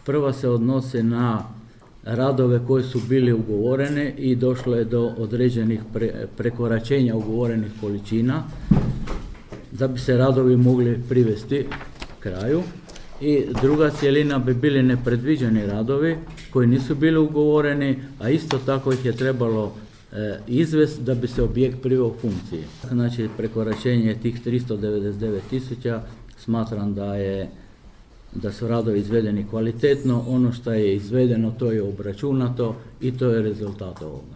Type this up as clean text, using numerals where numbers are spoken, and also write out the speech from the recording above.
Prva se odnose na radove koji su bili ugovoreni i došlo je do određenih prekoračenja ugovorenih količina da bi se radovi mogli privesti kraju. I druga cjelina bi bili nepredviđeni radovi koji nisu bili ugovoreni, a isto tako ih je trebalo izvesti da bi se objekt priveo u funkciji. Znači prekoračenje tih 399.000 smatram da su radovi izvedeni kvalitetno, ono što je izvedeno to je obračunato i to je rezultat ovoga.